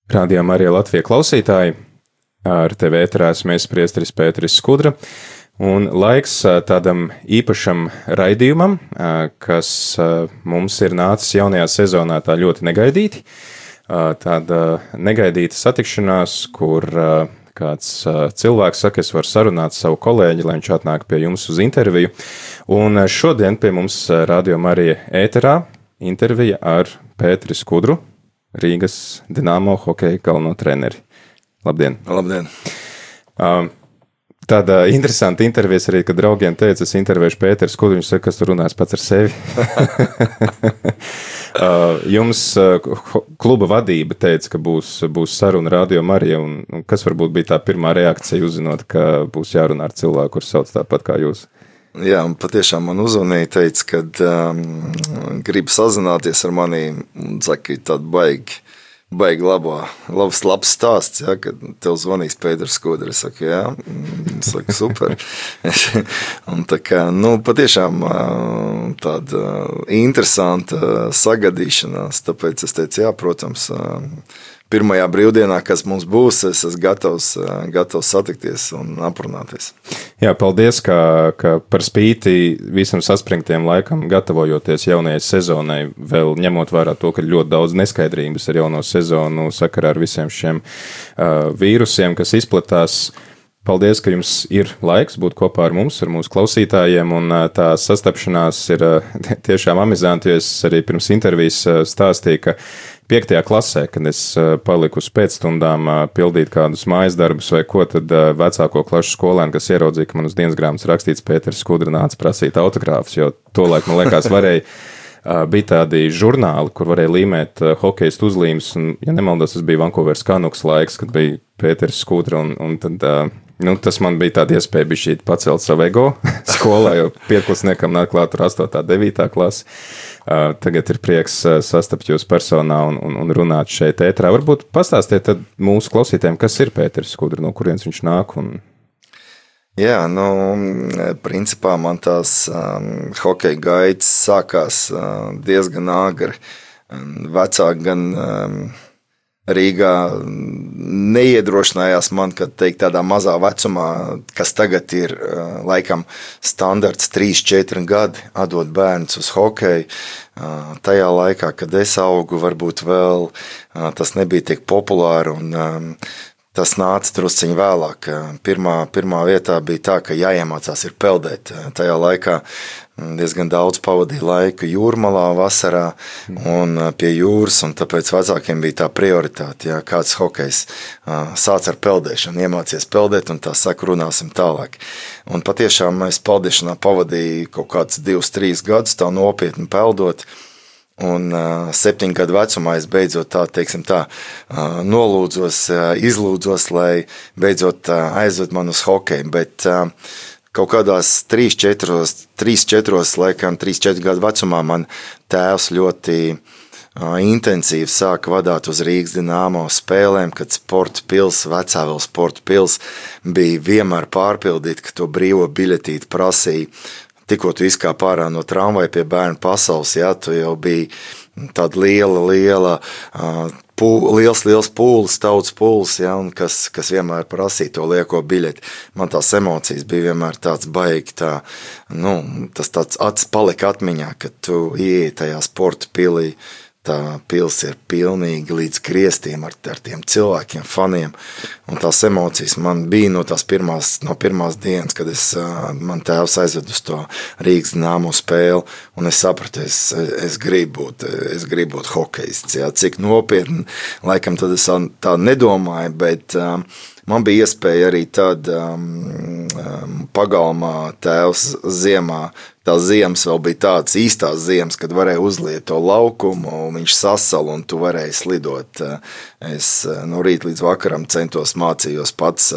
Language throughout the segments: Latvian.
Rādījām arī Latvijas klausītāji. Ar tevi ēterā esmu priesteris Pēteris Skudra. Un laiks tādam īpašam raidījumam, kas mums ir nācis jaunajā sezonā tā ļoti negaidīti. Tāda negaidīta satikšanās, kur kāds cilvēks saka, es varu sarunāt savu kolēģi, lai viņš atnāk pie jums uz interviju. Un šodien pie mums Rādījām arī ēterā intervija ar Pēteri Skudru, Rīgas Dinamo hokeja galveno treneri. Labdien! Labdien! Tāda interesanta intervijas arī, kad draugiem teica, es intervēšu Pēteru Skudru, viņš saka, kas tu runās pats ar sevi. Jums kluba vadība teica, ka būs saruna Rādījām arī, un kas varbūt bija tā pirmā reakcija, uzzinot, ka būs jārunā ar cilvēku, kurš sauc tāpat kā jūs? Jā, patiešām man uzvanīja, teica, kad grib sazināties ar mani, un saka, tāda baigi labs stāsts, ja, kad tev zvanīs Pēters Skudra. Es saku, jā, super. Un tā kā, patiešām tāda interesanta sagadīšanās, tāpēc es teicu, jā, protams, pirmajā brīvdienā, kas mums būs, es esmu gatavs satikties un aprunāties. Jā, paldies, ka par spīti visam saspringtiem laikam, gatavojoties jaunajai sezonai, vēl ņemot vērā to, ka ļoti daudz neskaidrības ar jauno sezonu sakarā ar visiem šiem vīrusiem, kas izplatās. Paldies, ka jums ir laiks būt kopā ar mums, ar mūsu klausītājiem, un tā sastapšanās ir tiešām amizanti, jo es arī pirms intervijas stāstīju, ka 5. klasē, kad es paliku uz pēcstundām pildīt kādus mājas darbus vai ko, tad vecāko klašu skolēni, kas ieraudzīja, ka man uz dienas grāmatas rakstīts Pēteris Skudra, nāca prasīt autogrāfus, jo tolaik, man liekas, bija tādi žurnāli, kur varēja līmēt hokejistu uzlīmes, un, ja nemaldos, tas bija Vancouveras Canucks laiks, kad bija Pēteris Skudra, un tad, tas man bija tāda iespēja bišķīt pacelt savu ego skolā, jo pieklasiekam nāk klāt tur 8. 9. klase. Tagad ir prieks sastapt jūs personā un runāt šeit ētrā. Varbūt pastāstiet tad mūsu klausītājiem, kas ir Pēteris Skudra, no kurienes viņš nāk un... Jā, principā man tās hokeja gaitas sākās diezgan āgri. Vecāki gan Rīgā neiedrošinājās man, kad teikt tādā mazā vecumā, kas tagad ir laikam standarts 3-4 gadi, atdot bērnus uz hokeju. Tajā laikā, kad es augu, varbūt vēl tas nebija tik populāri un tas nāca drusciņi vēlāk. Pirmā vietā bija tā, ka jāiemācās ir peldēt. Tajā laikā diezgan daudz pavadīja laiku jūrmalā vasarā un pie jūras, un tāpēc vecākiem bija tā prioritāte, ja kāds hokejs sāc ar peldēšanu, iemācies peldēt, un tā saka, runāsim tālāk. Un patiešām es peldēšanā pavadīju kaut kāds 2-3 gadus tā nopietni peldot, un 7 gadu vecumā es beidzot nolūdzos, izlūdzos, lai beidzot aizved man uz hokeju, bet kaut kādās 3-4 gadu vecumā man tēvs ļoti intensīvi sāka vadāt uz Rīgas Dinamo spēlēm, kad sporta pils, Vecāvēl sporta pils bija vienmēr pārpildīta, ka to brīvo biļetīti prasīja. Tikko tu izkāp ārā no tramvaja pie bērnu pasaules, jā, tu jau biji tāda liels pūlis, tautas pūlis, jā, un kas vienmēr prasīja to lieko biļeti. Man tās emocijas bija vienmēr tāds baigi, tas tāds palika atmiņā, kad tu ieeji tajā sporta pilī. Tā pils ir pilnīgi līdz griestiem ar tiem cilvēkiem, faniem, un tās emocijas man bija no pirmās dienas, kad man tēvs aizved uz to Rīgas Dinamo spēli, un es sapratu, es gribu būt hokejists, jā, cik nopietni, laikam tad es tā nedomāju, bet man bija iespēja arī tad pagalmā tēvs ziemā. Tās ziemas vēl bija tādas īstās ziemas, kad varēja uzliet to laukumu, un viņš sasala, un tu varēji slidot. Es no rīta līdz vakaram centos mācījos pats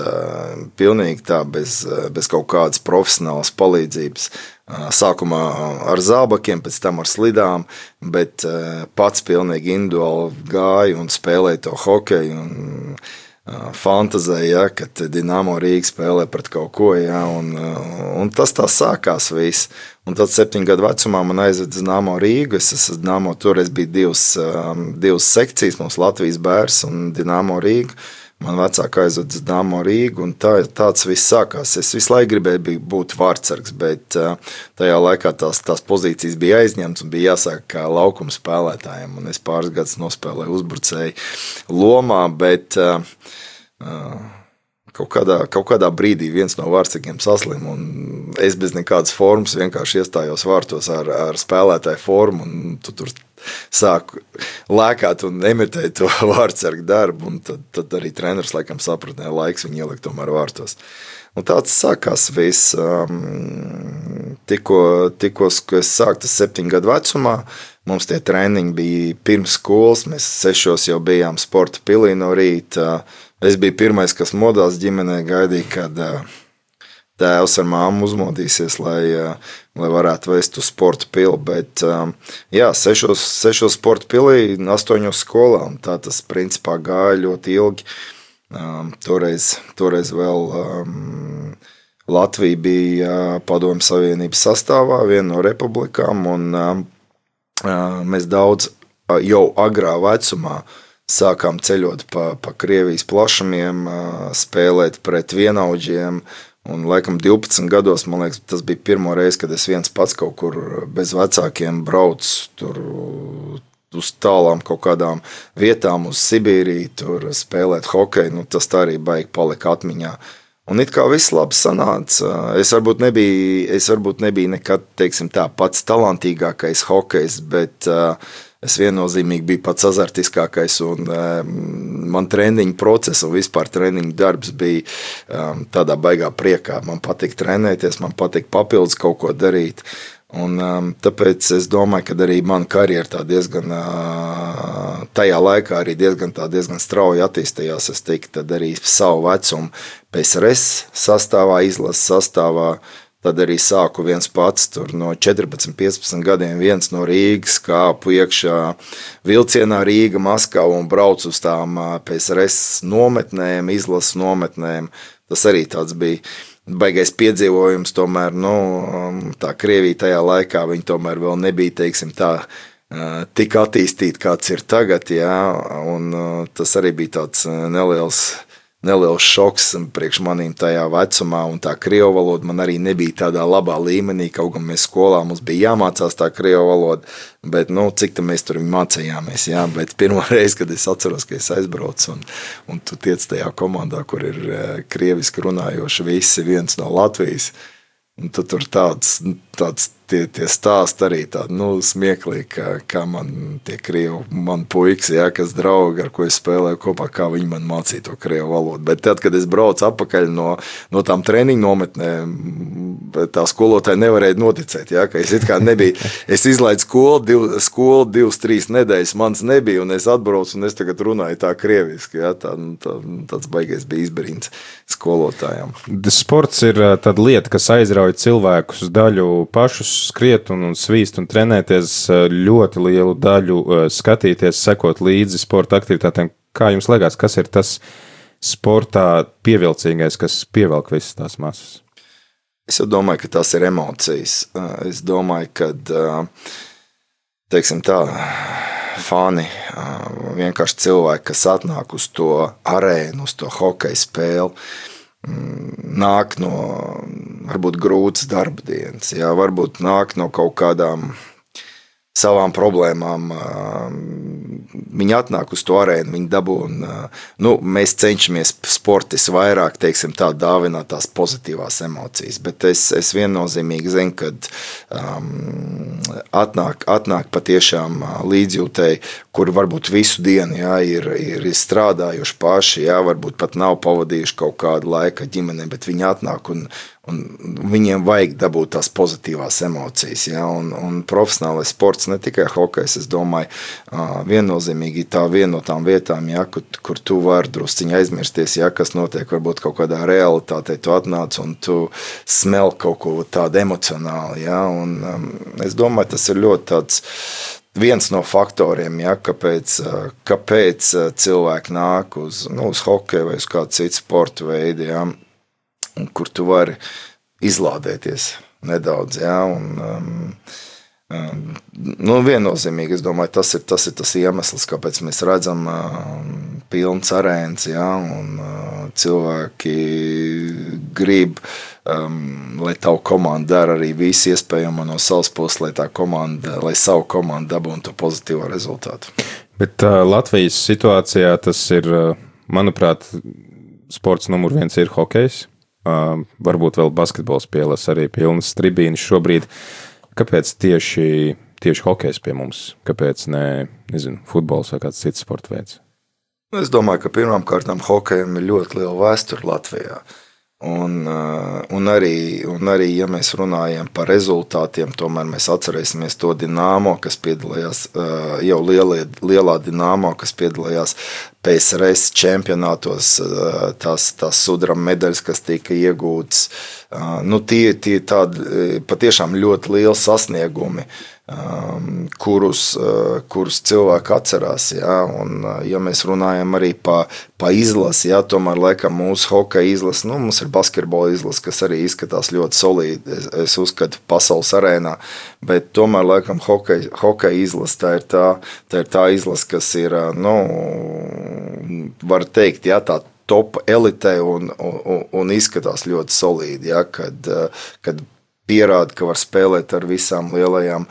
pilnīgi tā, bez kaut kādas profesionālas palīdzības. Sākumā ar zābakiem, pēc tam ar slidām, bet pats pilnīgi individuāli gāju un spēlēju to hokeju. Un fantazēja, ja, kad Dinamo Rīga spēlē pret kaut ko, ja, un tas tā sākās viss. Un tad 7 gadu vecumā man aizved uz Dinamo Rīgu. Es esmu Dinamo, toreiz bija divas sekcijas, mums Latvijas Bērs un Dinamo Rīga. Man vecāka aizved uz Dinamo Rīgu, un tāds viss sākās. Es visu laiku gribēju būt vārtsargs, bet tajā laikā tās pozīcijas bija aizņemtas un bija jāsāk kā laukuma spēlētājiem. Un es pāris gadus nospēlēju uzbrucēju lomā, bet kaut kādā brīdī viens no vārtsargiem saslima, un es bez nekādas formas vienkārši iestājos vārtos ar spēlētāju formu, un tu tur sāku lēkāt un emitēt to vārtsargu darbu, un tad arī treneris laikam sapratīja, laiks viņu ielikt tomēr vārtos. Un tāds sākās viss. Tikko es sāku 7 gadu vecumā, mums tie treniņi bija pirms skolas, mēs 6 jau bijām sporta pilī no rīta. Es biju pirmais, kas modās ģimenē, gaidīja, kad tēvs ar māmu uzmodīsies, lai varētu vest uz sporta pili, bet 6 sporta pilī, 8 skolā, un tā tas principā gāja ļoti ilgi. Toreiz vēl Latvija bija Padomju Savienības sastāvā, viena no republikām, un mēs daudz jau agrā vecumā sākām ceļot pa Krievijas plašumiem, spēlēt pret vienaudžiem. Un laikam 12 gados, man liekas, tas bija pirmo reizi, kad es viens pats kaut kur bez vecākiem braucu tur uz tālām kaut kādām vietām, uz Sibīriju, tur spēlēt hokeju. Nu, tas tā arī baigi palika atmiņā. Un it kā viss labi sanāca. Es varbūt nebiju nekad, teiksim tā, pats talantīgākais hokejs, bet es viennozīmīgi biju pats azartiskākais, un man treniņu process un vispār treniņu darbs bija tādā baigā priekā. Man patīk trenēties, man patīk papildus kaut ko darīt. Un tāpēc es domāju, ka arī mana karjera tā diezgan, tajā laikā arī diezgan strauji attīstījās. Es teiktu, tad arī savu vecumu PSRS sastāvā, izlases sastāvā. Tad arī sāku viens pats, tur no 14, 15 gadiem viens no Rīgas, kāpu iekšā vilcienā Rīga, Maskava un braucu uz tām PSRS nometnēm, izlases nometnēm. Tas arī tāds bija baigais piedzīvojums, tomēr, tā Krievija tajā laikā, viņi tomēr vēl nebija, teiksim tā, tik attīstīti, kāds ir tagad, jā, un tas arī bija tāds neliels šoks priekš manīm tajā vecumā, un tā krievu valoda man arī nebija tādā labā līmenī, kaut gan mēs skolā mums bija jāmācās tā krievu valoda, bet, cik tā mēs tur mācījāmies, jā, bet pirmo reizi, kad es atceros, ka es aizbraucu, un tu tiec tajā komandā, kur ir krieviski runājoši visi, viens no Latvijas, un tu tur tāds tie stāsti arī tādi, smieklīgi, kā man tie krievu, man puikas, jā, kas draugi, ar ko es spēlēju kopā, kā viņi man mācīja to krievu valodu. Bet tad, kad es braucu atpakaļ no tām treniņu nometnēm, tā skolotāja nevarēja noticēt, jā, ka es it kā nebija. Es izlaidu skolu 2-3 nedēļas, mans nebija, un es atbraucu, un es tagad runāju tā krieviski, jā, tāds baigais bija izbrīns skolotājām. Sports ir tāda lieta, kas aizrauja cilvēkus daļu pašus skriet un svīst un trenēties, ļoti lielu daļu skatīties, sekot līdzi sporta aktivitātēm. Kā jums liekas, kas ir tas sportā pievilcīgais, kas pievelk visas tās masas? Es jau domāju, ka tās ir emocijas. Es domāju, ka, teiksim tā, fani, vienkārši cilvēki, kas atnāk uz to arēnu, uz to hokeja spēli, nāk no varbūt grūtas darba dienas, jā, varbūt nāk no kaut kādām savām problēmām. Viņi atnāk uz to arēnu, viņi dabūna, mēs cenšamies sportisti vairāk, teiksim tā, dāvināt tās pozitīvās emocijas, bet es viennozīmīgi zinu, kad atnāk patiešām līdzjūtēji, kuri varbūt visu dienu, jā, ir strādājuši paši, jā, varbūt pat nav pavadījuši kaut kādu laiku ģimenē, bet viņi atnāk un viņiem vajag dabūt tās pozitīvās emocijas, ja? Un profesionālais sports, ne tikai hokejs, es domāju, viennozīmīgi tā viena no tām vietām, ja, kur tu vari drusciņi aizmirsties, ja, kas notiek varbūt kaut kādā realitātē, tu atnāc un tu smel kaut ko tādu emocionāli, ja? Un es domāju, tas ir ļoti viens no faktoriem, ja, kāpēc cilvēki nāk uz hokeju vai uz kādu citu sporta veidu, ja, kur tu vari izlādēties nedaudz. Ja, viennozīmīgi, es domāju, tas ir tas iemesls, kāpēc mēs redzam pilns arēns, ja, un cilvēki grib, lai tavu komandu dara arī visu iespējamo no savas puses, lai savu komandu dabūtu to pozitīvo rezultātu. Bet Latvijas situācijā tas ir, manuprāt, sports numur 1 ir hokejs. Varbūt vēl basketbols pielas arī pilnas tribīnes šobrīd. Kāpēc tieši hokejs pie mums? Kāpēc nezinu, futbols vai kāds cits sporta veids? Es domāju, ka pirmām kārtām hokejam ir ļoti liela vēsture Latvijā. Un arī, ja mēs runājam par rezultātiem, tomēr mēs atcerēsimies to Dinamo, kas piedalījās, jau lielā Dinamo, kas piedalījās PSRS čempionātos, tās sudraba medaļas, kas tika iegūtas. Tie tādi patiešām ļoti lieli sasniegumi, kurus cilvēki atcerās. Ja? Un, ja mēs runājam arī pa izlasi, ja? Tomēr laikam mūsu hokeja izlasi, mums ir basketbola izlasi, kas arī izskatās ļoti solīdi, es uzskatu, pasaules arēnā, bet tomēr laikam hokeja izlasi, tā ir tā izlasi, kas ir, var teikt, ja, tā top elitē un izskatās ļoti solīdi, ja? Kad pierāda, ka var spēlēt ar visām lielajām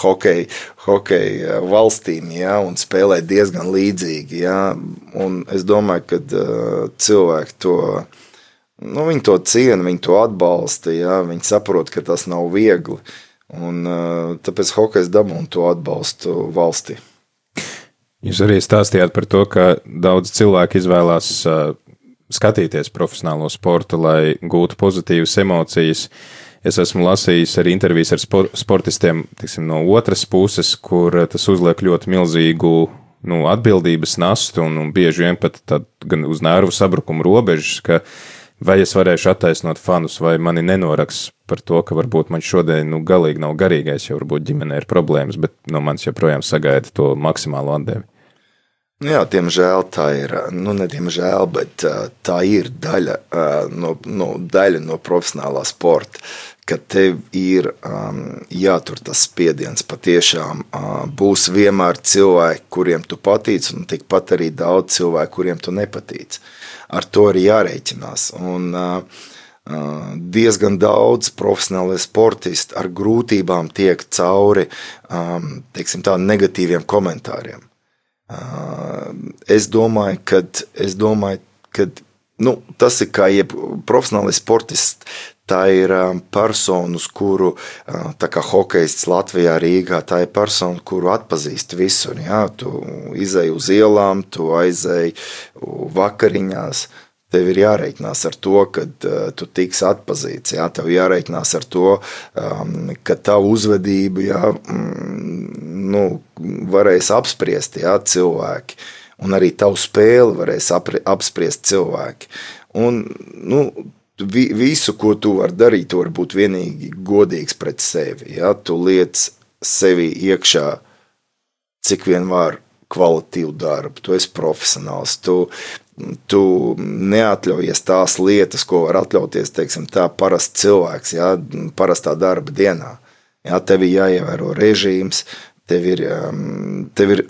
hokeja valstīm, ja, un spēlēt diezgan līdzīgi. Ja, un es domāju, ka cilvēki to, viņi to ciena, viņi to atbalsta, ja, viņi saprot, ka tas nav viegli, un tāpēc hokejs dabūna to atbalstu valstī. Jūs arī stāstījāt par to, ka daudz cilvēku izvēlās skatīties profesionālo sportu, lai gūtu pozitīvas emocijas. Es esmu lasījis arī intervijas ar sportistiem, tiksim, no otras puses, kur tas uzliek ļoti milzīgu atbildības nastu un bieži vien pat gan uz nervu sabrukumu robežas, ka vai es varēšu attaisnot fanus, vai mani nenoraks par to, ka varbūt man šodien galīgi nav garīgais, jo varbūt ģimenē ir problēmas, bet no manis joprojām sagaida to maksimālo atdevi. Jā, diemžēl tā ir, ne diemžēl, bet tā ir daļa no profesionālā sporta, ka tev ir jātur tas spiediens patiešām. Būs vienmēr cilvēki, kuriem tu patīc, un tikpat arī daudz cilvēku, kuriem tu nepatīc. Ar to arī jārēķinās. Un diezgan daudz profesionālie sportisti ar grūtībām tiek cauri, teiksim tā, negatīviem komentāriem. Es domāju, ka tas ir kā profesionālais sportists, tā ir persona, uz kuru, tā kā hokejists Latvijā, Rīgā, tā ir persona, kuru atpazīst visur. Jā, tu izej uz ielām, tu aizej vakariņās, tev ir jārēķinās ar to, ka tu tiks atpazīts. Jā, tev jārēķinās ar to, ka tavu uzvedību varēs apspriest cilvēki, un arī tavu spēli varēs apspriest cilvēki. Un, visu, ko tu vari darīt, tu vari būt vienīgi godīgs pret sevi. Ja? Tu liec sevi iekšā, cik vien var kvalitīvu darbu. Tu esi profesionāls. Tu neatļaujies tās lietas, ko var atļauties, teiksim, tā parasts cilvēks, ja? Parastā darba dienā. Ja? Tev ir jāievēro režīms, tev ir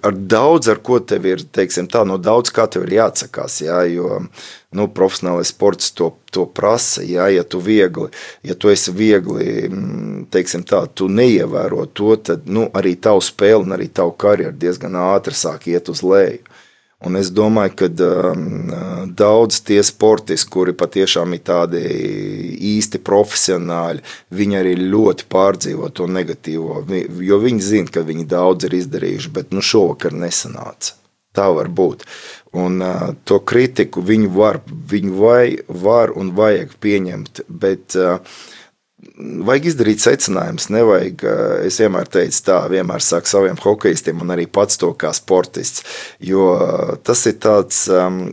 ar daudz, ar ko tev ir, teiksim tā, no daudz kā tev ir jāatsakās, ja? Jo profesionālais sports to prasa, ja? Ja tu esi viegli, teiksim tā, tu neievēro to, tad arī tavu spēli un arī tavu karjeru diezgan ātri sāk iet uz leju. Un es domāju, ka daudz tie sportisti, kuri patiešām ir tādi īsti profesionāļi, viņi arī ļoti pārdzīvo to negatīvo, jo viņi zina, ka viņi daudz ir izdarījuši, bet šovakar nesanāca. Tā var būt. Un to kritiku viņu var un vajag pieņemt, bet vajag izdarīt secinājumus, nevajag, es vienmēr teicu tā, vienmēr saku saviem hokejistiem un arī pats to kā sportists, jo tas ir tāds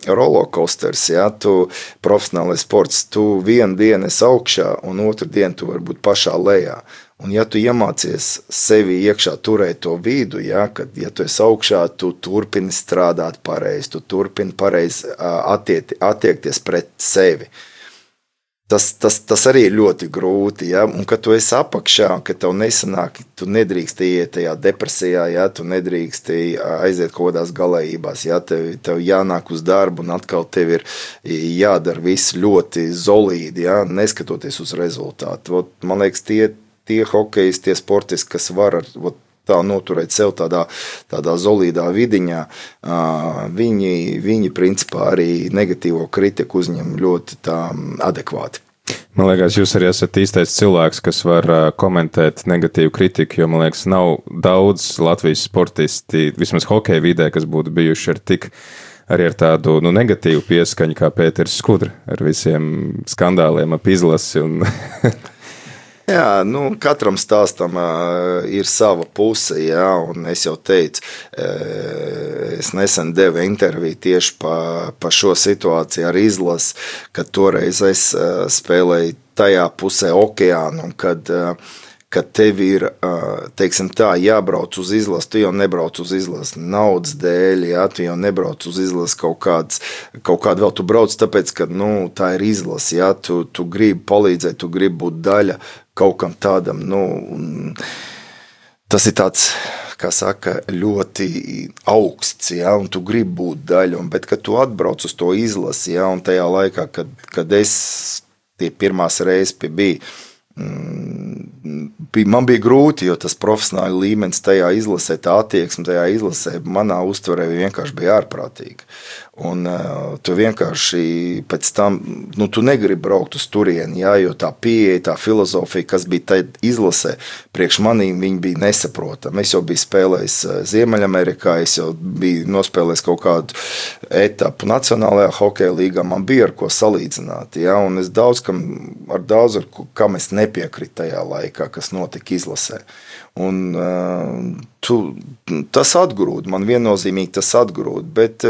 rollercoasters, ja, tu profesionālais sports, tu vienu dienu esi augšā un otru dienu tu vari būt pašā lejā. Un ja tu iemācies sevi iekšā turēt to vidu, ja, kad, ja tu esi augšā, tu turpini strādāt pareizi, tu turpini pareizi attiekties pret sevi. Tas arī ir ļoti grūti, ja, un kad tu esi apakšā, kad tev nesanāk, tu nedrīkst iet tajā depresijā, ja, tu nedrīkst aiziet kaut kādās galējībās, ja, tev jānāk uz darbu, un atkal tev ir jādara viss ļoti solīdi, ja, neskatoties uz rezultātu. Man liekas, tie hokejisti, tie sportisti, kas var tā noturēt sev tādā solīdā vidiņā, viņi principā arī negatīvo kritiku uzņem ļoti tā adekvāti. Man liekas, jūs arī esat īstais cilvēks, kas var komentēt negatīvu kritiku, jo, man liekas, nav daudz Latvijas sportisti, vismaz hokeja vidē, kas būtu bijuši arī ar tādu negatīvu pieskaņu kā Pēters Skudra ar visiem skandāliem ap izlasi un... Jā, katram stāstam ir sava puse, jā, un es jau teicu, es nesen devu interviju tieši pa šo situāciju ar izlasi, kad toreiz es spēlēju tajā pusē okeānu, un kad tev ir, teiksim tā, jābrauc uz izlasi, tu jau nebrauc uz izlasi naudas dēļ, jā, tu jau nebrauc uz izlasi kaut kādu vēl tu brauc, tāpēc, ka, tā ir izlasi, jā, tu gribi palīdzēt, tu gribi būt daļa kaut kam tādam, tas ir tāds, kā saka, ļoti augsts, jā, un tu gribi būt daļa, bet, kad tu atbrauc uz to izlasi, jā, un tajā laikā, kad es tie pirmās reizes bija, man bija grūti, jo tas profesionāli līmenis tajā izlasē, tā attieksme tajā izlasē, manā uztverē vienkārši bija ārprātīga. Un tu vienkārši pēc tam, tu negribi braukt uz turieni, jā, jo tā pieeja, tā filozofija, kas bija tajā izlasē, priekš manīm viņi bija nesaprotami. Es jau biju spēlējis Ziemeļamerikā, es jau biju nospēlējis kaut kādu etapu Nacionālajā hokeja līgā, man bija ar ko salīdzināt, jā, un es kam es nepiekrītu tajā laikā, kas notika izlasē. Un tas atgrūd, man viennozīmīgi tas atgrūd, bet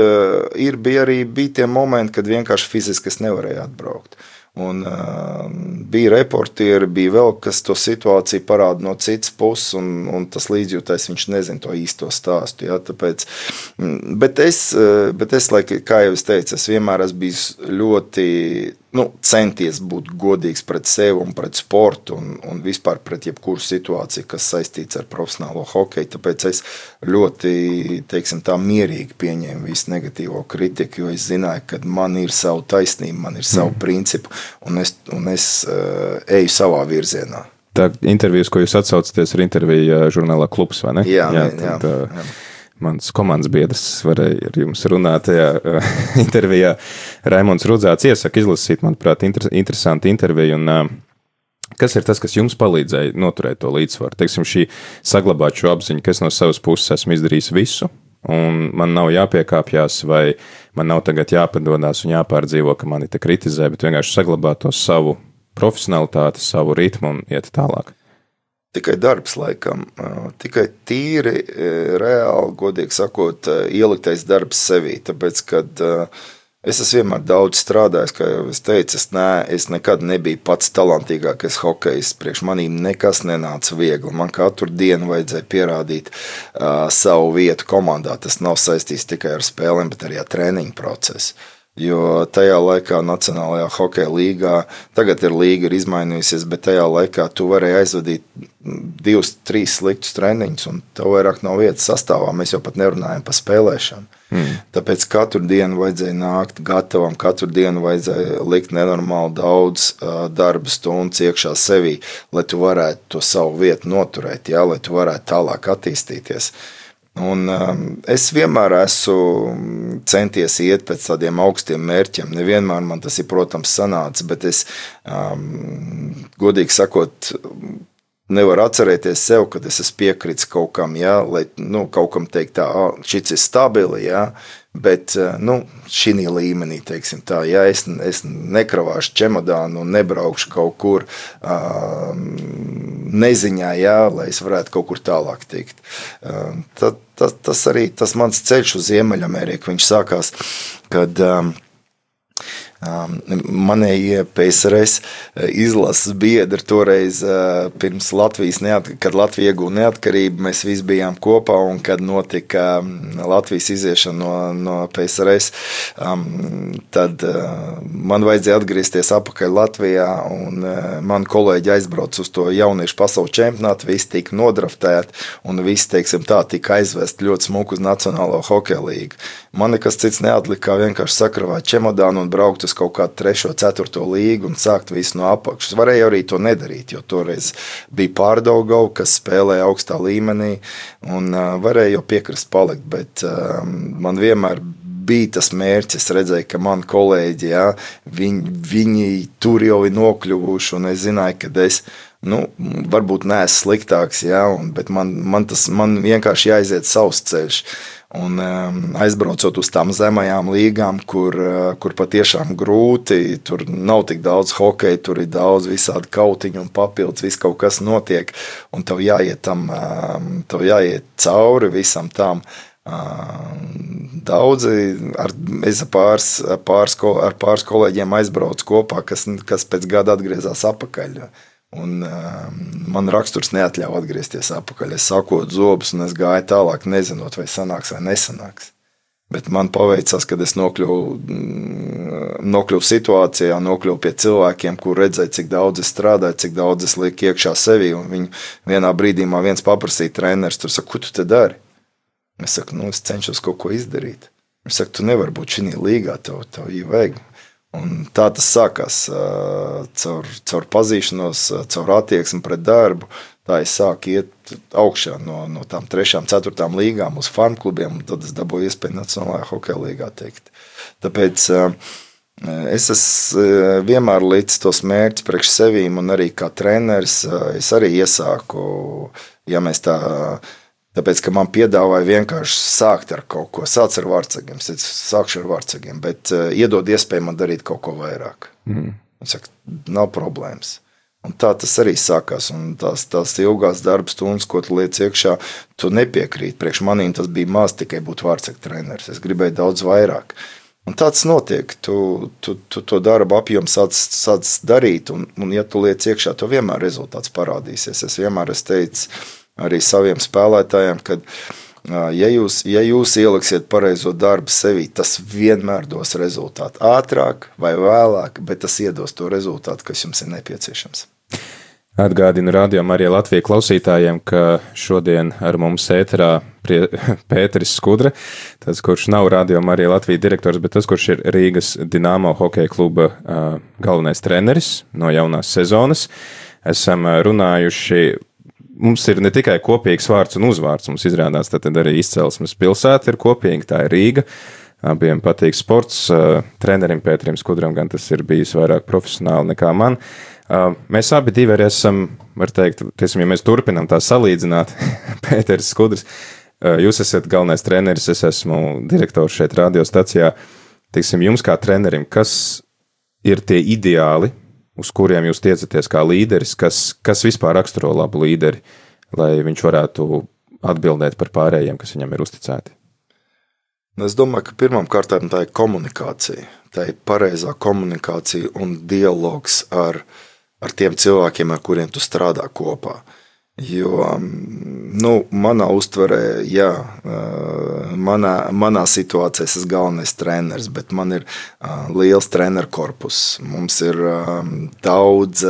bija tie momenti, kad vienkārši fiziski es nevarēju atbraukt. Un bija reportieri, bija vēl, kas to situāciju parāda no citas puses, un tas līdzjūtais, viņš nezina to īsto stāstu, jā, tāpēc, bet es, kā jau es teicu, es vienmēr esmu bijis ļoti, centies būt godīgs pret sevi un pret sportu un vispār pret jebkuru situāciju, kas saistīts ar profesionālo hokeju, tāpēc es ļoti, teiksim tā, mierīgi pieņēmu visu negatīvo kritiku, jo es zināju, ka man ir savu taisnību, man ir savu principu, un es eju savā virzienā. Tā intervijas, ko jūs atsaucaties, ir intervija žurnālā Klubs, vai ne? Jā. Mans komandas biedrs varēja ar jums runāt tajā intervijā. Raimonds Rudzāts iesaka izlasīt, manuprāt, interesanti interviju. Un, kas ir tas, kas jums palīdzēja noturēt to līdzsvaru? Teiksim, saglabāt šo apziņu, ka es no savas puses esmu izdarījis visu, un man nav jāpiekāpjās, vai man nav tagad jāpadodās un jāpārdzīvo, ka mani te kritizē, bet vienkārši saglabāt to savu profesionalitāti, savu ritmu un iet tālāk. Tikai darbs, laikam, tikai tīri, reāli, godīgi sakot, ieliktais darbs sevī, tāpēc, kad es esmu vienmēr daudz strādājis, kā jau es teicu, es nekad nebiju pats talantīgākais hokejs, priekš manīm nekas nenāca viegli, man katru dienu vajadzēja pierādīt savu vietu komandā, tas nav saistīts tikai ar spēlēm, bet arī ar treniņu procesu. Jo tajā laikā Nacionālajā hokeja līgā, tagad līga ir izmainījusies, bet tajā laikā tu varēji aizvadīt 2-3 sliktus treniņus, un tev vairāk nav vietas sastāvā, mēs jau pat nerunājam par spēlēšanu. Tāpēc katru dienu vajadzēja nākt gatavam, katru dienu vajadzēja likt nenormāli daudz darba stundas iekšā sevī, lai tu varētu to savu vietu noturēt, jā, lai tu varētu tālāk attīstīties. Un es vienmēr esmu centies iet pēc tādiem augstiem mērķiem. Nevienmēr man tas ir, protams, sanācis, bet es, godīgi sakot, nevaru atcerēties sev, kad es esmu piekritis kaut kam, jā, lai kaut kam teikt tā, šis ir stabili, jā, bet šī līmenī, teiksim tā, ja es nekravāšu čemodānu un nebraukšu kaut kur neziņā, jā, lai es varētu kaut kur tālāk tikt. Tas arī, tas mans ceļš uz Ziemeļameriku, viņš sākās, kad Manējie PSRS izlases biedri toreiz pirms Latvijas, kad Latvija iegūta neatkarību, mēs visi bijām kopā, un kad notika Latvijas iziešana no PSRS, tad man vajadzēja atgriezties atpakaļ Latvijā, un mani kolēģi aizbrauc uz to jauniešu pasaules čempionātu, visi tika nodraftēti, un visi, teiksim tā, tika aizvest ļoti smuku uz Nacionālo hokeja līgu. Man nekas cits neatlika, kā vienkārši sakravāt čemodānu un braukt uz kaut kādu 3., 4. līgu un sākt visu no apakšas. Varēja arī to nedarīt, jo toreiz bija Pārdaugava, kas spēlēja augstā līmenī, un varēja jau piekrist palikt, bet man vienmēr bija tas mērķis. Es redzēju, ka mani kolēģi, jā, viņi tur jau ir nokļuvuši, un es zināju, ka es varbūt neesmu sliktāks, jā, bet man vienkārši jāiziet savs ceļš. Un aizbraucot uz tām zemajām līgām, kur patiešām grūti, tur nav tik daudz hokeja, tur ir daudz visādi kautiņu un papildus, viss kaut kas notiek, un tev jāiet cauri visam tam. Daudzi, es ar pāris kolēģiem aizbraucu kopā, kas pēc gada atgriezās atpakaļ. Un man raksturs neatļauj atgriezties atpakaļ. Es sakot zobus, un es gāju tālāk, nezinot, vai sanāks vai nesanāks. Bet man paveicās, kad es nokļuvu situācijā, nokļuvu pie cilvēkiem, kur redzēju, cik daudz es strādāju, cik daudz es lieku iekšā sevī. Un viņi vienā brīdī viens paprasīja treneris, tur saka, ko tu te dari? Es saku, es cenšos kaut ko izdarīt. Viņš saka, tu nevari būt šī līgā, tev vajag. Un tā tas sākās caur pazīšanos, caur attieksmi pret darbu. Tā es sāku iet augšā no tām 3., 4. līgām uz farmklubiem, un tad es dabūju iespēju Nacionālajā hokeja līgā teikt. Tāpēc es esmu vienmēr līdz tos mērķus priekš sevīm, un arī kā treneris es arī iesāku, ja mēs tāpēc, ka man piedāvāja vienkārši sākt ar kaut ko. Sāc ar vārtsegiem, es sākšu ar vārtsegiem, bet iedod iespēju man darīt kaut ko vairāk. Un saka, nav problēmas. Un tā tas arī sākās, un tās ilgās darba stundas, ko tu liec iekšā, tu nepiekrīt. Priekš manīm tas bija maz tikai būt vārtsegu treneris. Es gribēju daudz vairāk. Un tāds notiek. Tu to darbu apjomu sāc darīt, un ja tu liec iekšā, to vienmēr rezultāts parādīsies. Es vienmēr teicu, arī saviem spēlētājiem, ka ja jūs ieliksiet pareizo darbu sevī, tas vienmēr dos rezultātu. Ātrāk vai vēlāk, bet tas iedos to rezultātu, kas jums ir nepieciešams. Atgādinu Radio Marija Latvija klausītājiem, ka šodien ar mums ēterā Pēteris Skudra, tas, kurš nav Radio Marija Latvija direktors, bet tas, kurš ir Rīgas Dinamo hokeja kluba galvenais treneris no jaunās sezonas. Esam runājuši. Mums ir ne tikai kopīgs vārds un uzvārds, mums izrādās tad arī izcelsmes pilsēta ir kopīga, tā ir Rīga. Abiem patīk sports, trenerim Pēterim Skudram gan tas ir bijis vairāk profesionāli nekā man. Mēs abi divi arī esam, var teikt, ja mēs turpinām tā salīdzināt, Pēteris Skudrs, jūs esat galvenais treneris, es esmu direktors šeit radiostacijā. Teiksim, jums kā trenerim, kas ir tie ideāli, uz kuriem jūs tiecaties kā līderis, kas vispār raksturo labu līderi, lai viņš varētu atbildēt par pārējiem, kas viņam ir uzticēti? Es domāju, ka pirmām kārtām tā ir komunikācija. Tā ir pareizā komunikācija un dialogs ar tiem cilvēkiem, ar kuriem tu strādā kopā. Jo, manā uztverē, jā, manā situācijā es esmu galvenais treneris, bet man ir liels treneru korpus. Mums ir daudz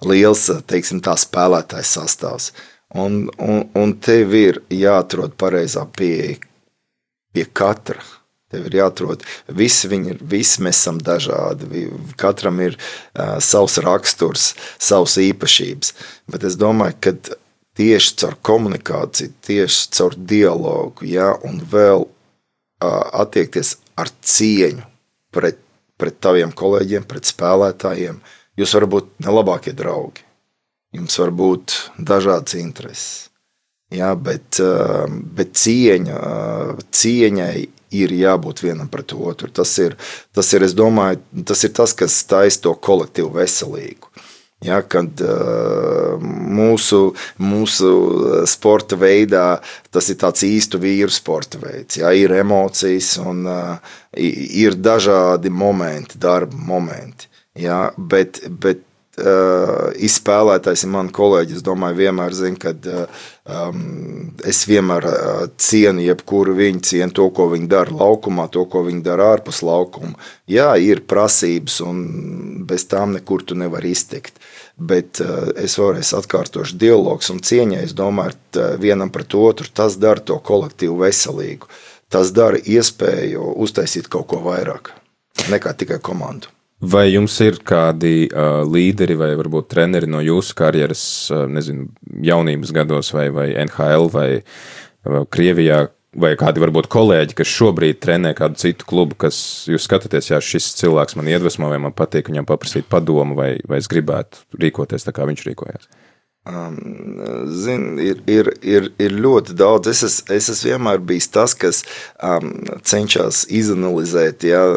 liels, teiksim tā, spēlētājs sastāvs. Un tev ir jāatrod pareizā pieeja pie katra. Tev ir jāatrod, visi mēs esam dažādi, katram ir savs raksturs, savs īpašības, bet es domāju, ka tieši caur komunikāciju, tieši caur dialogu, jā, un vēl attiekties ar cieņu pret taviem kolēģiem, pret spēlētājiem, jūs varat būt nelabākie draugi, jums var būt dažādas intereses, jā, bet cieņai ir jābūt vienam pret otru. Tas ir, es domāju, tas ir tas, kas taisa to kolektīvu veselīgu. Ja, kad mūsu sporta veidā tas ir tāds īstu vīru sporta veids. Ja, ir emocijas un ir dažādi momenti, darba momenti. Ja, bet izspēlētājs ir mani kolēģi, es domāju, vienmēr zinu, kad es vienmēr cienu jebkuru viņu, cienu to, ko viņi dara laukumā, to, ko viņi dara ārpus laukuma. Jā, ir prasības un bez tām nekur tu nevar iztikt, bet es vēlreiz atkārtošu dialogs un cieņai, es domāju, vienam pret otru, tas dara to kolektīvu veselīgu, tas dara iespēju uztaisīt kaut ko vairāk nekā tikai komandu. Vai jums ir kādi līderi vai varbūt treneri no jūsu karjeras, nezinu, jaunības gados vai NHL vai Krievijā, vai kādi varbūt kolēģi, kas šobrīd trenē kādu citu klubu, kas jūs skatāties, jā, šis cilvēks man iedvesmo, vai man patīk viņam paprasīt padomu, vai es gribētu rīkoties tā, kā viņš rīkojās? Ir ļoti daudz. Es esmu vienmēr bijis tas, kas cenšas izanalizēt, ja,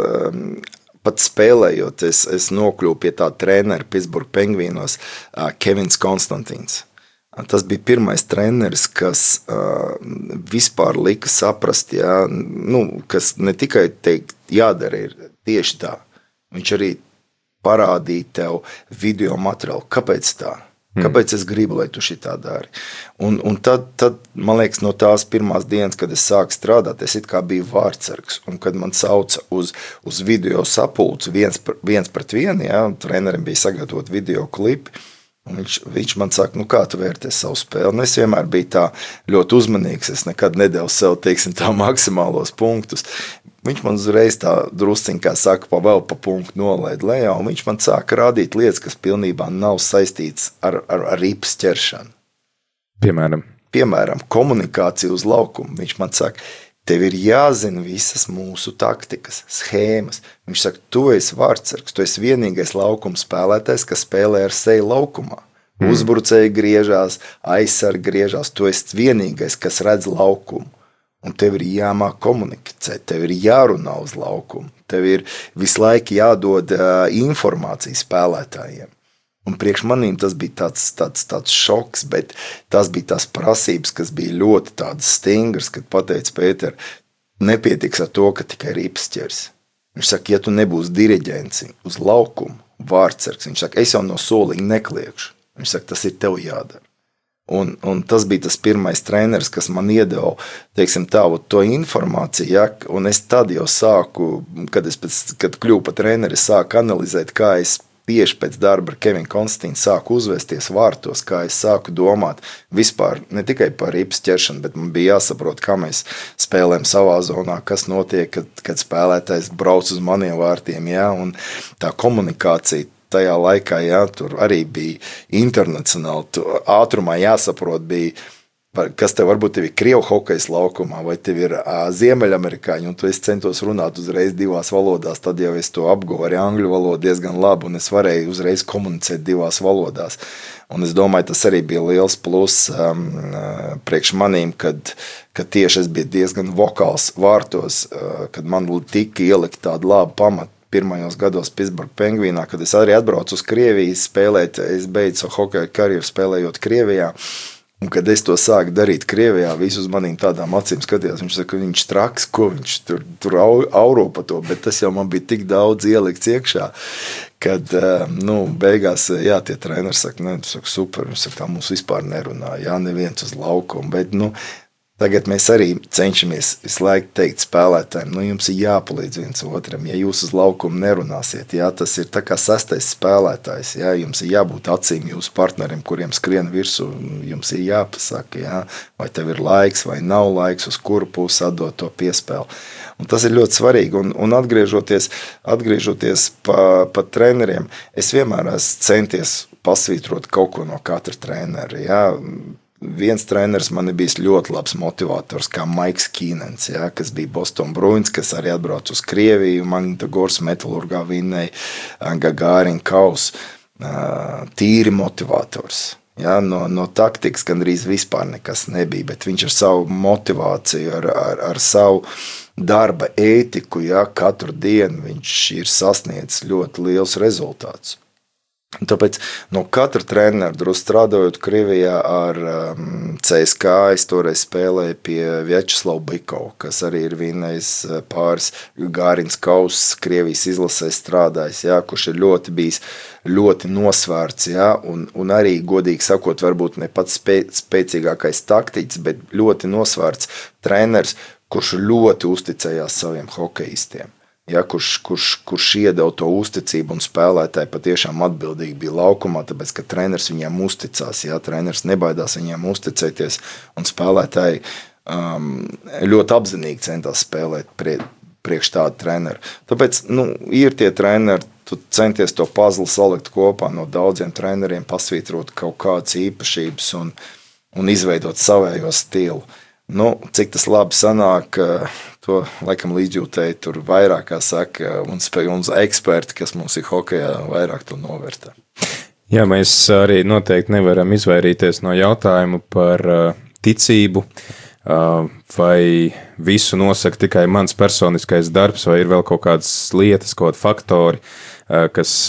pat spēlējot, es nokļuvu pie tā trenera Pittsburgh Penguinos, Kevins Konstantīns. Tas bija pirmais treneris, kas vispār lika saprast, ja, kas ne tikai teikt, jādara ir tieši tā. Viņš arī parādīja tev video materiālu. Kāpēc tā? Kāpēc es gribu, lai tu šitā dari? Un tad, man liekas, no tās pirmās dienas, kad es sāku strādāt, es it kā biju vārdsargs. Un kad man sauca uz video sapulci viens pret vienu, ja, trenerim bija sagatavot video klipi, un viņš man saka, kā tu vērties savu spēli? Un es vienmēr biju tā ļoti uzmanīgs, es nekad nedevu sev, teiksim, tā maksimālos punktus. Viņš man uzreiz tā drusciņ, kā saka, vēl pa punktu nolaid lejā, un viņš man sāka rādīt lietas, kas pilnībā nav saistīts ar ripas ķeršanu. Piemēram, komunikācija uz laukumu. Viņš man saka, tev ir jāzina visas mūsu taktikas, schēmas. Viņš saka, tu esi vārdsargs, tu esi vienīgais laukuma spēlētājs, kas spēlē ar seju laukumā. Uzbrucēji griežās, aizsargi griežās, tu esi vienīgais, kas redz laukumu. Un tev ir jāmāk komunicēt, tev ir jārunā uz laukumu, tev ir visu laiku jādod informācija spēlētājiem. Un priekš manīm tas bija tāds šoks, bet tas bija tās prasības, kas bija ļoti tādas stingras, kad pateica Pēter, nepietiks ar to, ka tikai rips ķers. Viņš saka, ja tu nebūsi diriģents uz laukumu, vārdsargs, viņš saka, es jau no soliņa nekliekšu. Viņš saka, tas ir tev jādara. Un tas bija tas pirmais treneris, kas man iedeva, teiksim, to informāciju, ja, un es tad jau sāku, kad kļuvu par treneri, sāku analizēt, kā es tieši pēc darba ar Kevinu Konstantīnu sāku uzvesties vārtos, kā es sāku domāt vispār ne tikai par ripas ķeršanu, bet man bija jāsaprot, kā mēs spēlējam savā zonā, kas notiek, kad spēlētājs brauc uz maniem vārtiem, ja, un tā komunikācija tajā laikā, jā, tur arī bija internacionāli, ātrumā jāsaprot bija, kas tev varbūt tev ir Krievu hokejs laukumā, vai tev ir Ziemeļamerikāņi, un tu es centos runāt uzreiz divās valodās, tad jau es to apguvu arī angļu valodu diezgan labi, un es varēju uzreiz komunicēt divās valodās. Un es domāju, tas arī bija liels plus priekš manīm, kad tieši es biju diezgan vokāls vārtos, kad man tika ielikt tādu labu pamatu. Pirmajos gados Pittsburgh Penguinā, kad es arī atbraucu uz Krieviju spēlēt, es beidzu savu hokeja karjeru spēlējot Krievijā, un kad es to sāku darīt Krievijā, visi uz manīm tādām acīm skatījās, viņš saka, viņš traks, ko viņš tur auro pa to, bet tas jau man bija tik daudz ielikts iekšā, kad, beigās, jā, tie treneri saka, ne, tu saka, super, viņš saka, tā mums vispār nerunā, jā, neviens uz laukumu, bet, tagad mēs arī cenšamies visu laiku teikt spēlētājiem, jums ir jāpalīdz viens otram, ja jūs uz laukumu nerunāsiet, jā, tas ir tā kā sastais spēlētājs, jā, jums ir jābūt acīm jūsu partneriem, kuriem skrien virsū, jums ir jāpasaka, jā, vai tev ir laiks vai nav laiks, uz kuru pusi atdot to piespēli. Un tas ir ļoti svarīgi, un atgriežoties pa treneriem, es vienmēr esmu centies pasvītrot kaut ko no katra trenera, jā. Viens treneris man ir bijis ļoti labs motivators, kā Maiks Kīnens, ja, kas bija Boston Bruins, kas arī atbrauc uz Krieviju, Magnitogorsk Metalurgā vinnēja Gagārin Kaus, tīri motivators. Ja, no taktikas gandrīz vispār nekas nebija, bet viņš ar savu motivāciju, ar savu darba ētiku, ja, katru dienu viņš ir sasniedzis ļoti liels rezultāts. Tāpēc no katra trenera, drusku strādājot Krievijā ar CSK, es toreiz spēlēju pie Vjačeslava Bikova, kas arī ir vinnējis pāris Gārins Kausas Krievijas izlasē strādājis, jā, kurš ir bijis ļoti nosvērts, jā, un arī, godīgi sakot, varbūt ne pats spēcīgākais taktiķis, bet ļoti nosvērts treneris, kurš ļoti uzticējās saviem hokejistiem. Ja, kurš iedeva to uzticību un spēlētāji patiešām atbildīgi bija laukumā, tāpēc, ka treneris viņiem uzticās, ja, treneris nebaidās viņiem uzticēties, un spēlētāji ļoti apzinīgi centās spēlēt priekš tādu treneru. Tāpēc, ir tie treneri, tu centies to pazli salikt kopā no daudziem treneriem, pasvītrot kaut kādas īpašības un izveidot savējo stilu. Cik tas labi sanāk, to laikam līdzjūtēji tur vairāk, kā saka, un eksperti, kas mums ir hokejā, vairāk to novērtē. Jā, mēs arī noteikti nevaram izvairīties no jautājumu par ticību, vai visu nosaka tikai mans personiskais darbs, vai ir vēl kaut kādas lietas, kaut kādi faktori, kas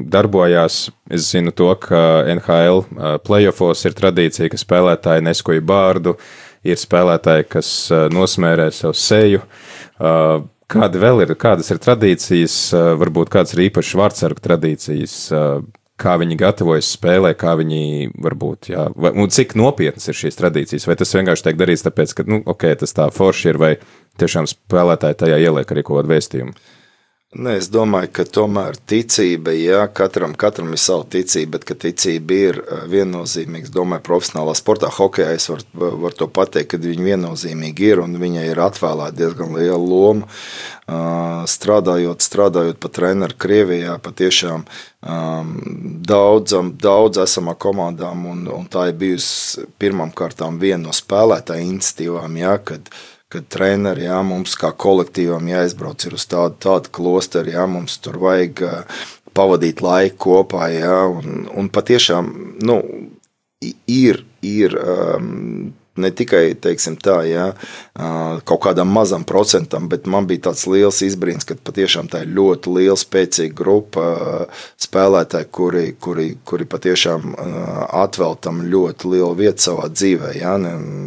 darbojās. Es zinu to, ka NHL playoffos ir tradīcija, ka spēlētāji neskuja bārdu, ir spēlētāji, kas nosmērē savu seju. Kādas ir tradīcijas, varbūt kādas ir īpašas vārdsargu tradīcijas, kā viņi gatavojas spēlē, kā viņi varbūt, jā, un cik nopietnas ir šīs tradīcijas, vai tas vienkārši tiek darīts tāpēc, ka, tas tā forši ir, vai tiešām spēlētāji tajā ieliek arī kaut kādu vēstījumu? Es domāju, ka tomēr ticība, jā, katram ir sava ticība, bet ka ticība ir viennozīmīga. Es domāju, profesionālā sportā, hokejā es var to pateikt, ka viņi viennozīmīgi ir un viņai ir atvēlēta diezgan liela loma. Strādājot pa treneru Krievijā, patiešām daudz esamā komandām, un tā ir bijusi pirmām kārtām viena no spēlētāju iniciatīvām, jā, kad treneri, jā, mums kā kolektīvam jāizbrauc ir uz tādu klosteri, jā, mums tur vajag pavadīt laiku kopā, jā, un patiešām, ir ne tikai, teiksim tā, jā, kaut kādam mazam procentam, bet man bija tāds liels izbrīns, ka patiešām tā ir ļoti liela, spēcīga grupa spēlētāji, kuri patiešām atvēl tam ļoti lielu vietu savā dzīvē, jā,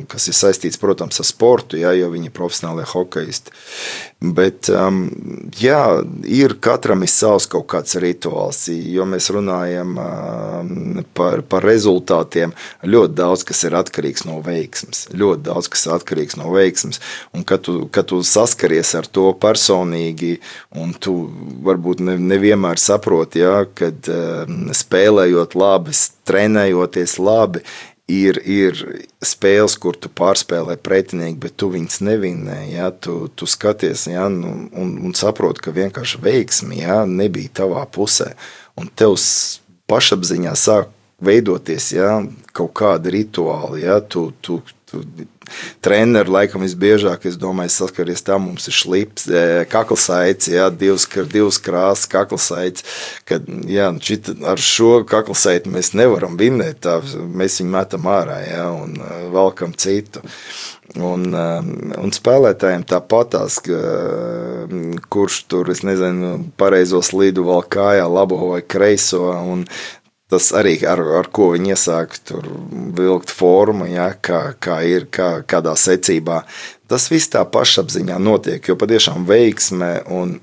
kas ir saistīts, protams, ar sportu, jā, jo viņi ir profesionālie hokejisti. Bet, jā, katram ir savs kaut kāds rituāls, jo mēs runājam par rezultātiem, ļoti daudz, kas ir atkarīgs no veiksmes. Ļoti daudz, kas ir atkarīgs no veiksmes. Un kad tu saskaries ar to personīgi, un tu varbūt nevienmēr saproti, jā, kad spēlējot labi, trenējoties labi, ir spēles, kur tu pārspēlē pretinieki, bet tu viņus nevinē, jā, tu skaties, jā, un saproti, ka vienkārši veiksmi, jā, nebija tavā pusē. Un tev pašapziņā sāk veidoties, jā, kaut kādi rituāli, jā, tu treneri laikam visbiežāk, es domāju, saskaries tā, mums ir šlips, kaklsaids, jā, divas krāsas kaklsaids, kad, jā, ar šo kaklsaidu mēs nevaram vinnēt, tā, mēs viņu metam ārā, jā, un valkam citu. Un spēlētājiem tāpatās, kurš tur, es nezinu, pareizo slīdu vēl kājā, labo vai kreiso, un tas arī ar ko viņi iesāk tur vilkt formu, ja, kādā secībā. Tas viss tā pašapziņā notiek, jo patiešām veiksme un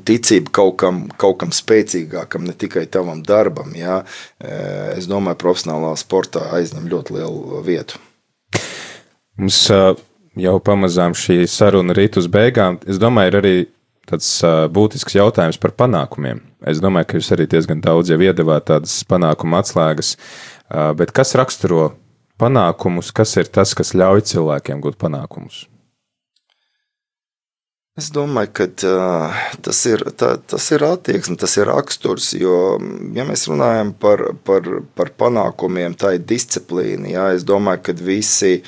ticība kaut kam spēcīgākam, ne tikai tavam darbam, ja, es domāju, profesionālā sportā aizņem ļoti lielu vietu. Mums jau pamazām šī saruna rīt uz beigām. Es domāju, ir arī tāds būtisks jautājums par panākumiem. Es domāju, ka jūs arī diezgan daudz jau iedevāt tādas panākuma atslēgas, bet kas raksturo panākumus, kas ir tas, kas ļauj cilvēkiem gūt panākumus? Es domāju, ka tas ir attieksme, tas ir raksturs, jo, ja mēs runājam par panākumiem, tā ir disciplīna, jā, es domāju, ka visi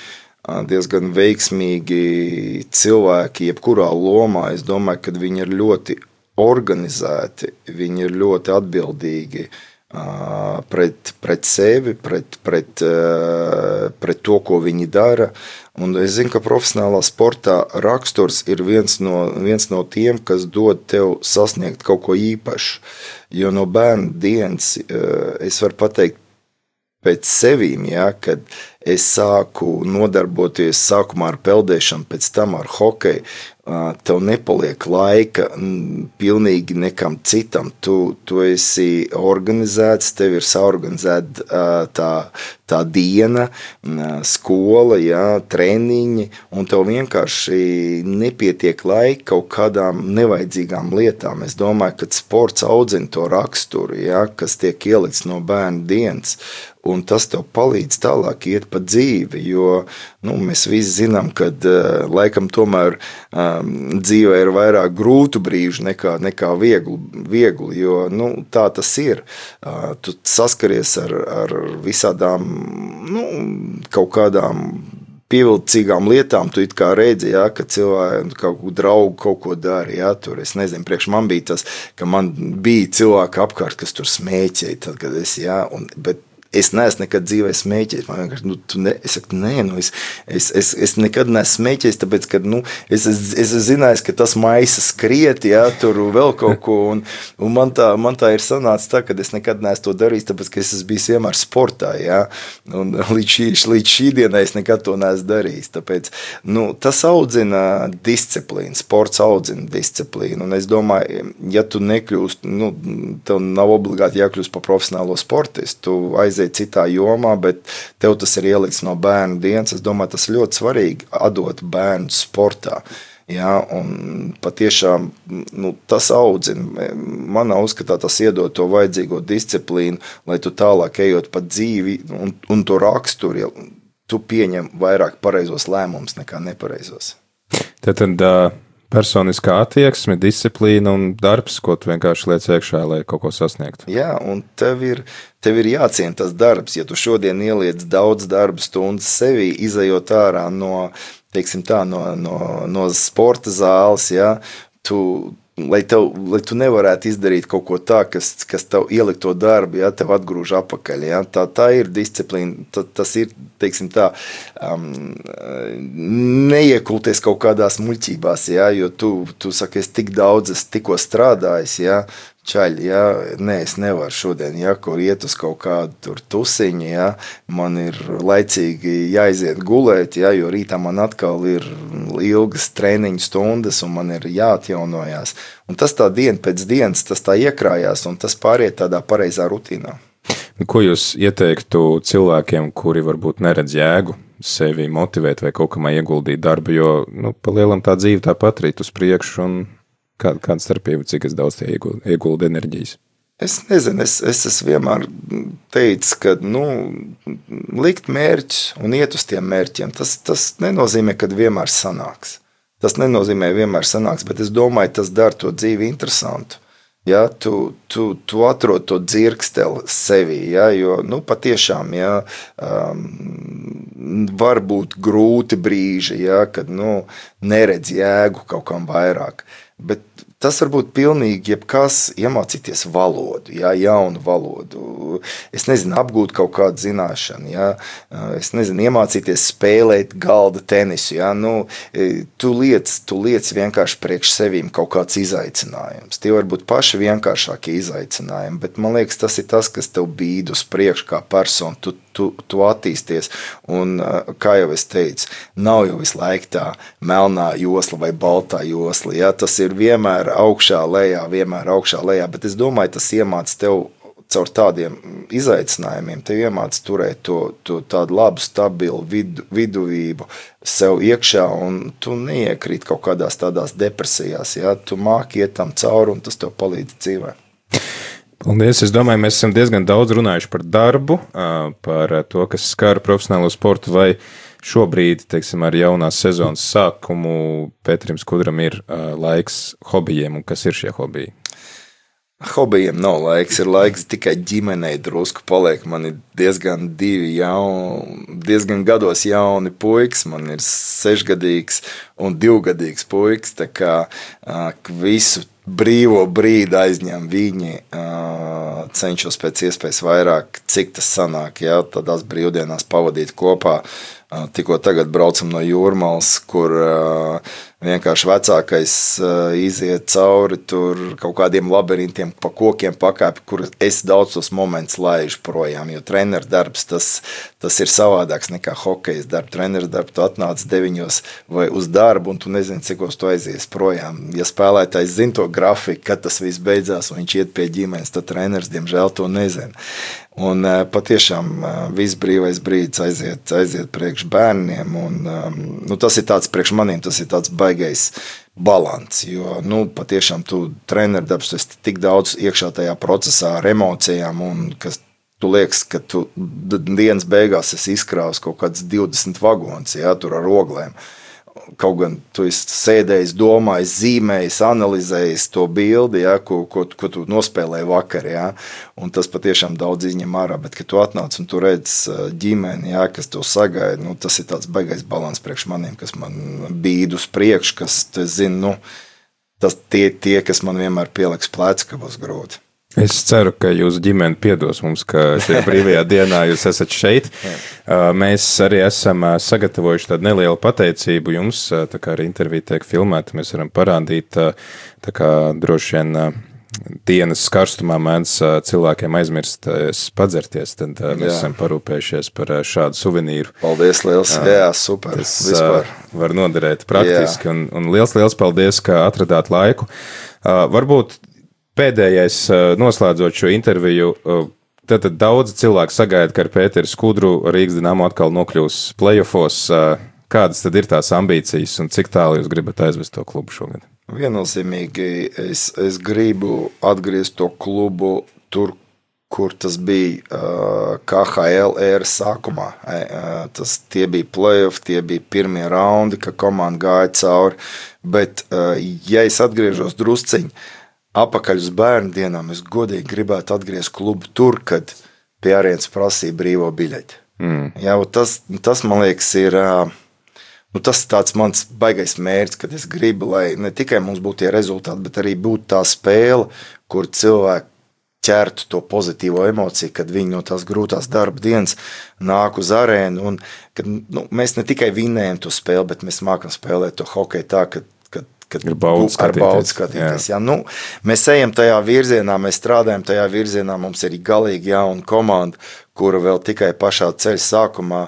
diezgan veiksmīgi cilvēki, jebkurā lomā, es domāju, ka viņi ir ļoti organizēti, viņi ir ļoti atbildīgi, pret sevi, pret to, ko viņi dara. Un es zinu, ka profesionālā sportā raksturs ir viens no tiem, kas dod tev sasniegt kaut ko īpašu. Jo no bērnu dienas es varu pateikt pēc sevīm, ja, kad es sāku nodarboties sākumā ar peldēšanu, pēc tam ar hokeju, tev nepaliek laika pilnīgi nekam citam. Tu esi organizēts, tev ir saorganizēta tā diena, skola, ja, treniņi, un tev vienkārši nepietiek laika kaut kādām nevajadzīgām lietām. Es domāju, ka sports audzina to raksturu, ja, kas tiek ielikts no bērnu dienas, un tas tev palīdz tālāk iet pa dzīvi, jo mēs visi zinām, ka laikam tomēr dzīvē ir vairāk grūtu brīžu nekā vieglu, jo tā tas ir. Tu saskaries ar visādām kaut kādām pievilcīgām lietām, tu it kā redzi, ja, ka cilvēki kaut ko draugu kaut ko dara, ja, tur, es nezinu, priekš man bija tas, ka man bija cilvēki apkārt, kas tur smēķēja, tad, kad es, ja, bet es neesmu nekad dzīvē smēķējis. Man vienkārši, es saku, es nekad neesmu smēķējis, tāpēc, ka, es zināju, ka tas maisa skriet, ja, tur vēl kaut ko, un man tā ir sanācis tā, ka es nekad neesmu to darījis, tāpēc, ka es esmu bijis vienmēr sportā, ja, un līdz šī dienai es nekad to neesmu darījis, tāpēc, tas audzina disciplīnu, sports audzina disciplīnu, un es domāju, ja tu nekļūst, tev nav obligāti jākļūst par profesionālo sportistu, tu aiziet citā jomā, bet tev tas ir ielikts no bērnu dienas. Es domāju, tas ļoti svarīgi atdot bērnu sportā. Ja, un patiešām tas audzina. Manā uzskatā tas iedod to vajadzīgo disciplīnu, lai tu tālāk ejot pa dzīvi un to raksturi, tu pieņem vairāk pareizos lēmumus nekā nepareizos. Tad personiskā attieksme, disciplīna un darbs, ko tu vienkārši liec iekšā, lai kaut ko sasniegtu. Jā, un tev ir jāciena tas darbs. Ja tu šodien ieliec daudz darba stundas sevī, izejot ārā no, teiksim tā, no sporta zāles, ja, lai tu nevarētu izdarīt kaut ko tā, kas tev ielikt to darbu, ja, tev atgrūž apakaļ. Ja. Tā ir disciplīna, tas ir, teiksim tā, neiekulties kaut kādās muļķībās, ja, jo tu saki, es tik daudz, es tikko strādājis, ja, čaļi, ja, es nevaru šodien, ja, kur iet uz kaut kādu tur tusiņu, ja, man ir laicīgi jāiziet gulēt, ja, jo rītā man atkal ir ilgas treniņu stundas un man ir jāatjaunojās. Un tas tā diena pēc dienas, tas tā iekrājās un tas pāriet tādā pareizā rutīnā. Ko jūs ieteiktu cilvēkiem, kuri varbūt neredz jēgu sevi motivēt vai kaut kamā ieguldīt darbu, jo, pa lielam tā dzīve tāpat rīt uz priekšu un kāda starpība, cik es daudz tie ieguldu enerģijas? Es nezinu, es esmu vienmēr teicis, ka, likt mērķus un iet uz tiem mērķiem, tas nenozīmē, ka vienmēr sanāks. Tas nenozīmē vienmēr sanāks, bet es domāju, tas dara to dzīvi interesantu. Ja, tu atrod to dzirksteli sevī, ja, jo, patiešām, ja, var būt grūti brīži, ja, kad, neredz jēgu kaut kam vairāk, bet tas var būt pilnīgi jebkas iemācīties valodu, ja, jaunu valodu, es nezinu, apgūt kaut kādu zināšanu, ja, es nezinu, iemācīties spēlēt galda tenisu, ja, tu liec vienkārši priekš sevīm kaut kāds izaicinājums. Tie var būt paši vienkāršākie izaicinājumi, bet man liekas, tas ir tas, kas tev bīd uz priekšu kā persona, tu attīsties, un, kā jau es teicu, nav jau visu laiku tā melnā josla vai baltā josla, ja, tas ir vienmēr augšā lejā, bet es domāju, tas iemāc tev caur tādiem izaicinājumiem, tev iemāc turēt to tādu labu, stabilu viduvību sev iekšā, un tu neiekrīt kaut kādās tādās depresijās, ja, tu māki iet tam cauri, un tas tev palīdz dzīvē. Paldies. Es domāju, mēs esam diezgan daudz runājuši par darbu, par to, kas skar profesionālo sportu, vai šobrīd, teiksim, ar jaunās sezonas sākumu Pēterim Skudram ir laiks hobijiem, un kas ir šie hobiji? Hobijiem nav laiks, ir laiks tikai ģimenei drusku paliek. Man ir diezgan diezgan gados jauni puikas, man ir 6-gadīgs un 2-gadīgs puikas, tā kā visu brīvo brīdi aizņem viņi, cenšos pēc iespējas vairāk, cik tas sanāk, jā, tādās brīvdienās pavadīt kopā. Tikko tagad braucam no Jūrmalas, kur vienkārši vecākais iziet cauri tur kaut kādiem labirintiem, pa kokiem pakāpi, kur es daudz tos momentus laižu projām, jo treneru darbs, tas ir savādāks nekā hokejas darba. Treneru darbu tu atnāc 9 vai uz darbu, un tu nezini, cikos tu aizies projām. Ja spēlētājs zina to grafiku, kad tas viss beidzās, un viņš iet pie ģimenes, tad treneris, diemžēl, to nezina. Un patiešām viss brīvais brīdis aiziet priekš bērniem, un tas ir tāds priekš maniem, tas ir tāds baigais balans, jo patiešām tu treneru darbs, tu esi tik daudz iekšā tajā procesā ar emocijām, un kas tu liekas, ka tu dienas beigās esi izkrāvis kaut kāds 20 vagons, jā, tur ar oglēm. Kaut gan tu esi sēdējis, domājis, zīmējis, analizējis to bildi, ja, ko tu nospēlēji vakar, ja, un tas patiešām daudz izņem ārā, bet, kad tu atnāc un tu redz ģimeni, ja, kas to sagaida, tas ir tāds baigais balans priekš maniem, kas man bīd uz priekšu, kas, es zinu, tas tie, kas man vienmēr pieliks pleci, ka būs grūti. Es ceru, ka jūsu ģimene piedos mums, ka šajā brīvajā dienā jūs esat šeit. Mēs arī esam sagatavojuši tādu nelielu pateicību jums, tā kā arī intervija tiek filmēta, mēs varam parādīt, tā kā droši vien dienas karstumā mēdz cilvēkiem aizmirsties padzerties, tad mēs esam parūpējušies par šādu suvenīru. Paldies liels, jā, super. Tas var noderēt praktiski, un liels paldies, ka atradāt laiku. Varbūt pēdējais, noslēdzot šo interviju, tad daudz cilvēku sagaida, ka ar Pēteri Skudru Rīgas Dinamo atkal nokļūs playoffos. Kādas tad ir tās ambīcijas un cik tālu jūs gribat aizvest to klubu šogad? Viennozīmīgi es gribu atgriezt to klubu tur, kur tas bija KHL ēras sākumā. Tie bija playoff, tie bija pirmie raundi, ka komanda gāja cauri, bet ja es atgriežos drusciņi, apakaļ uz bērnu dienām, es godīgi gribētu atgriezt klubu tur, kad pie arēnas prasīja brīvo biļeti. Jā, tas, man liekas, ir tas tāds mans baigais mērķis, kad es gribu, lai ne tikai mums būtu tie rezultāti, bet arī būtu tā spēle, kur cilvēki ķertu to pozitīvo emociju, kad viņi no tās grūtās darba dienas nāk uz arēnu, un kad mēs ne tikai vinējam to spēli, bet mēs mākam spēlēt to hokeju tā, kad ar baudu skatīties. Jā, mēs ejam tajā virzienā, mēs strādājam tajā virzienā, mums ir galīgi jauna komanda, kura vēl tikai pašā ceļa sākumā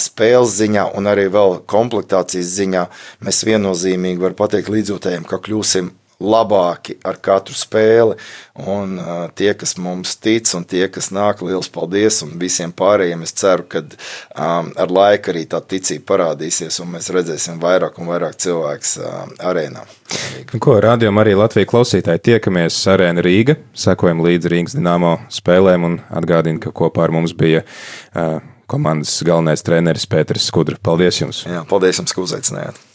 spēles ziņā un arī vēl komplektācijas ziņā mēs viennozīmīgi var pateikt līdzjūtējiem, ka kļūsim labāki ar katru spēli, un tie, kas mums tic, un tie, kas nāk, liels paldies, un visiem pārējiem es ceru, ka ar laiku arī tā ticība parādīsies, un mēs redzēsim vairāk un vairāk cilvēks arēnā. Rādījām arī Latviju klausītāji, tiekamies Arēna Rīga, sekojam līdz Rīgas Dinamo spēlēm, un atgādinu, ka kopā ar mums bija komandas galvenais treneris Pēteris Skudra. Paldies jums! Jā, paldies jums, ka uzaicinājāt!